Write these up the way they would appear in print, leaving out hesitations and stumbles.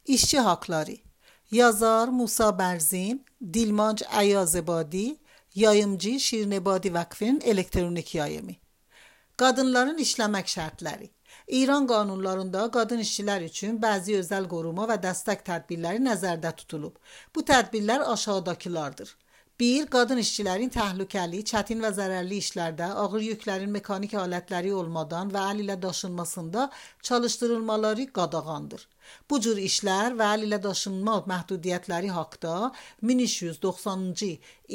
İşçi Hakları. Yazar Musa Berzin, Dilmanc Ayazebadi, yayımcı Şirinebadi Vakfı'nın elektronik yayımı. Qadınların işləmək şərtləri. İran qanunlarında qadın işçilər üçün bəzi özəl qoruma və dəstək tədbirləri nəzərdə tutulub. Bu tədbirlər aşağıdakılardır. 1. Qadın işçilərin təhlükəli, çətin və zərərli işlərdə ağır yüklərin mekanik alətləri olmadan və əl ilə daşınmasında çalışdırılmaları qadağandır. Bu cür işlər və əl ilə daşınma məhdudiyyətləri haqda 1390-cı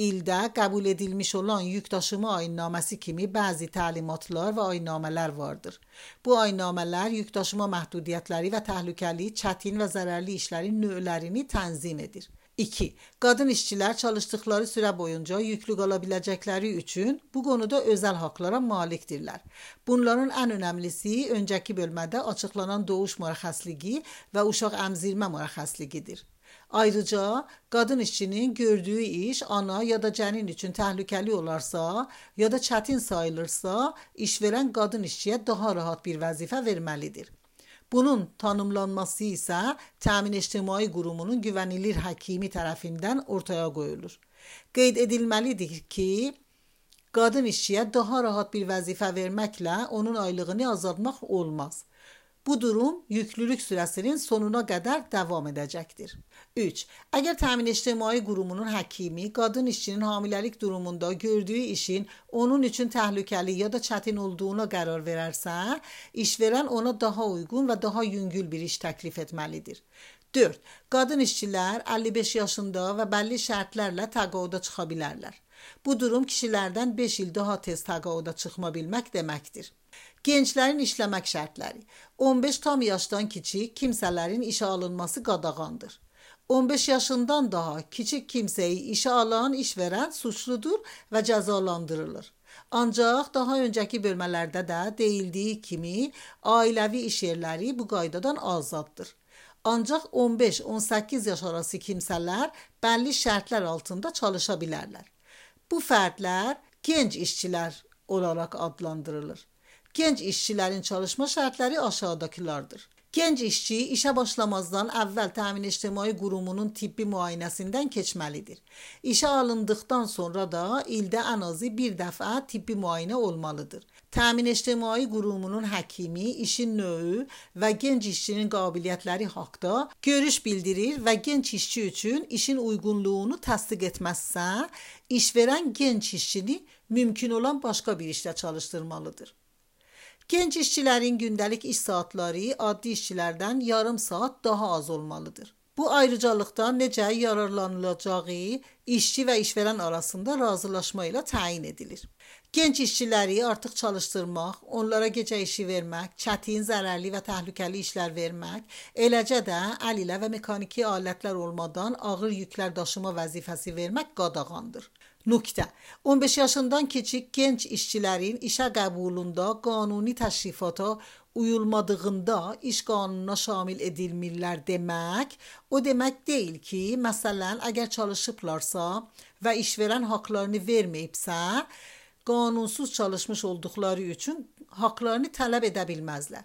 ildə qəbul edilmiş olan yük daşıma ayinnaməsi kimi bəzi təlimatlar və ayinnamələr vardır. Bu ayinnamələr yük daşıma məhdudiyyətləri və təhlükəli, çətin və zərərli işlərin növlərini tənzim edir. 2. Qadın işçilər çalışdıqları sürə boyunca yüklü qala biləcəkləri üçün bu konuda özəl haqlara malikdirlər. Bunların ən önəmlisi öncəki bölmədə açıqlanan doğuş mürəxxəsliyi və uşaq əmzirmə mürəxxəsliyidir. Ayrıca qadın işçinin gördüyü iş ana ya da cənin üçün təhlükəli olarsa ya da çətin sayılırsa, işverən qadın işçiyə daha rahat bir vəzifə verməlidir. Bunun tanımlanması isə Təmin İctimai Qurumunun güvenilir həkimi tərəfindən ortaya qoyulur. Qeyd edilməlidir ki, qadın işçiyə daha rahat bir vəzifə verməklə onun aylığını azaltmaq olmaz. Bu durum yüklülük sürəsinin sonuna qədər davam edəcəkdir. 3. Əgər Təmin İctimai Qurumunun həkimi qadın işçinin hamiləlik durumunda gördüyü işin onun üçün təhlükəli ya da çətin olduğuna qərar verərsə, işverən ona daha uyğun və daha yüngül bir iş təklif etməlidir. 4. Qadın işçilər 55 yaşında və bəlli şərtlərlə təqaüdə çıxa bilərlər. Bu durum kişilərdən 5 il daha tez təqaüdə çıxma bilmək deməkdir. Gənclərin işləmək şərtləri. 15 tam yaşdan kiçik kimsələrin işə alınması qadağandır. 15 yaşından daha kiçik kimsəyi işə alan işverən suçludur və cəzalandırılır. Ancaq daha öncəki bölmələrdə də deyildiyi kimi ailəvi iş yerləri bu qaydadan azaddır. Ancaq 15-18 yaş arası kimsələr bəlli şərtlər altında çalışa bilərlər. Bu fərdlər genç işçilər olaraq adlandırılır. Genç işçilərin çalışma şərtləri aşağıdakılardır. Genç işçi işə başlamazdan əvvəl Təmin İctimai Qurumunun tibbi müayinəsindən keçməlidir. İşə alındıqdan sonra da ildə ən azı bir dəfə tibbi müayinə olmalıdır. Təmin İctimai Qurumunun həkimi işin növü və genç işçinin qabiliyyətləri haqqında görüş bildirir və genç işçi üçün işin uyğunluğunu təsdiq etməzsə, işverən genç işçini mümkün olan başqa bir işlə çalışdırmalıdır. Genç işçilərin gündəlik iş saatları addi işçilərdən yarım saat daha az olmalıdır. Bu ayrıcalıqdan necə yararlanılacağı işçi və işverən arasında razılaşma ilə təyin edilir. Genç işçiləri artıq çalışdırmaq, onlara gecə işi vermək, çətin, zərərli və təhlükəli işlər vermək, eləcə də əl ilə və mexaniki alətlər olmadan ağır yüklər daşıma vəzifəsi vermək qadağandır. Nöqtə. 15 yaşından kiçik genç işçilərin işə qəbulunda qanuni təşrifata uyulmadığında iş qanununa şamil edilmirlər demək, o demək deyil ki, məsələn, əgər çalışıblarsa və işverən haqlarını verməyibsə, qanunsuz çalışmış olduqları üçün haqlarını tələb edə bilməzlər.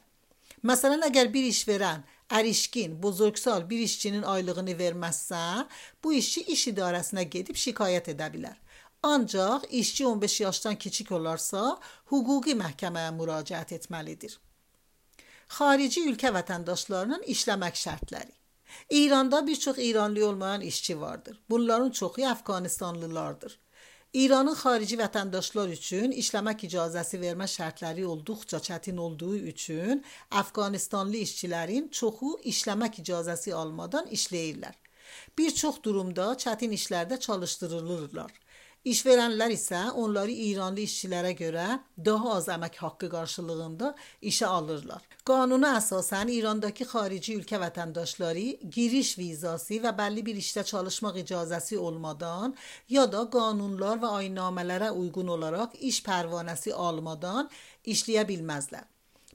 Məsələn, əgər bir işverən ərişkin, bozorgsal bir işçinin aylığını verməzsə, bu işçi iş idarəsinə gedib şikayət edə bilər. Ancaq işçi 15 yaşdan kiçik olarsa, hüquqi məhkəməyə müraciət etməlidir. Xarici ölkə vətəndaşlarının işləmək şərtləri. İranda bir çox İranlı olmayan işçi vardır. Bunların çoxu Əfqanistanlılardır. İranın xarici vətəndaşlar üçün işləmək icazəsi vermə şərtləri olduqca çətin olduğu üçün Əfqanistanlı işçilərin çoxu işləmək icazəsi almadan işləyirlər. Bir çox durumda çətin işlərdə çalışdırılırlar. İşverənlər isə onları İranlı işçilərə görə daha az əmək haqqı qarşılığında işə alırlar. Qanuna əsasən İrandakı xarici ölkə vətəndaşları giriş vizası və bəlli bir işdə çalışmaq icazəsi olmadan ya da qanunlar və ayinnamələrə uyğun olaraq iş pərvanəsi almadan işləyə bilməzlər.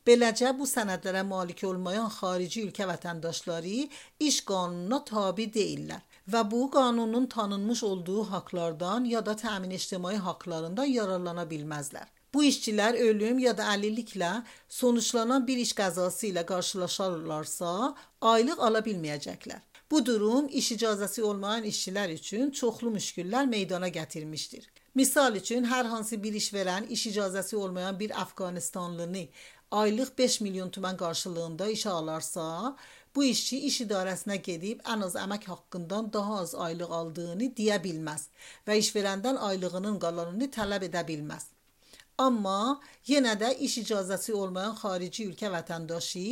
Beləcə bu sənədlərə malik olmayan xarici ölkə vətəndaşları iş qanununa tabe deyillər və bu qanunun tanınmış olduğu haqlardan ya da təmin ictimai haqlarından yararlana bilməzlər. Bu işçilər ölüm ya da əlilliklə sonuçlanan bir iş qəzası ilə qarşılaşarlarsa, aylıq ala bilməyəcəklər. Bu durum iş icazəsi olmayan işçilər üçün çoxlu müşküllər meydana gətirmişdir. Misal üçün, hər hansı bir işverən iş icazəsi olmayan bir Əfqanistanlını aylıq 5 milyon tümən qarşılığında işə alarsa, bu işçi iş idarəsinə gedib ən az əmək haqqından daha az aylıq aldığını deyə bilməz və işverəndən aylığının qalanını tələb edə bilməz. Amma yenə də iş icazəsi olmayan xarici ölkə vətəndaşı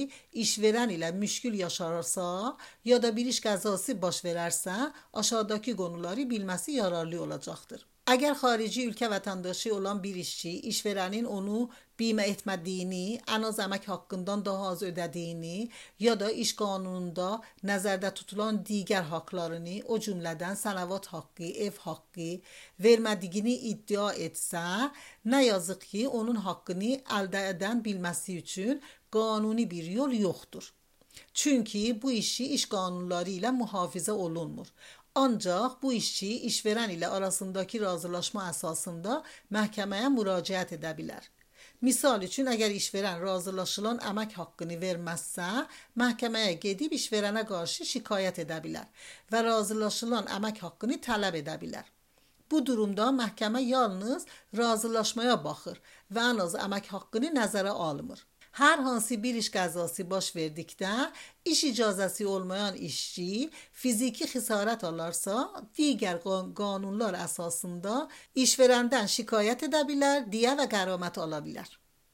işverən ilə müşkül yaşararsa ya da bir iş qəzası baş verərsə, aşağıdakı qonuları bilməsi yararlı olacaqdır. Əgər xarici ölkə vətəndaşı olan bir işçi işverənin onu bimə etmədiyini, ən az əmək haqqından daha az ödədiyini ya da iş qanununda nəzərdə tutulan digər haqlarını, o cümlədən sənəvat haqqı, ev haqqı vermədiyini iddia etsə, nə yazıq ki, onun haqqını əldə edən bilməsi üçün qanuni bir yol yoxdur. Çünki bu işçi iş qanunları ilə mühafizə olunmur. Ancaq bu işçi işverən ilə arasındakı razılaşma əsasında məhkəməyə müraciət edə bilər. Misal üçün, əgər işverən razılaşılan əmək haqqını verməzsə, məhkəməyə gedib işverənə qarşı şikayət edə bilər və razılaşılan əmək haqqını tələb edə bilər. Bu durumda məhkəmə yalnız razılaşmaya baxır və ən az əmək haqqını nəzərə almır. Hər hansı bir iş qəzası baş verdikdə, iş icazəsi olmayan işçi fiziki xəsarət alarsa, digər qanunlar əsasında işverəndən şikayət edə bilər, diyə və qəramət ala bilər.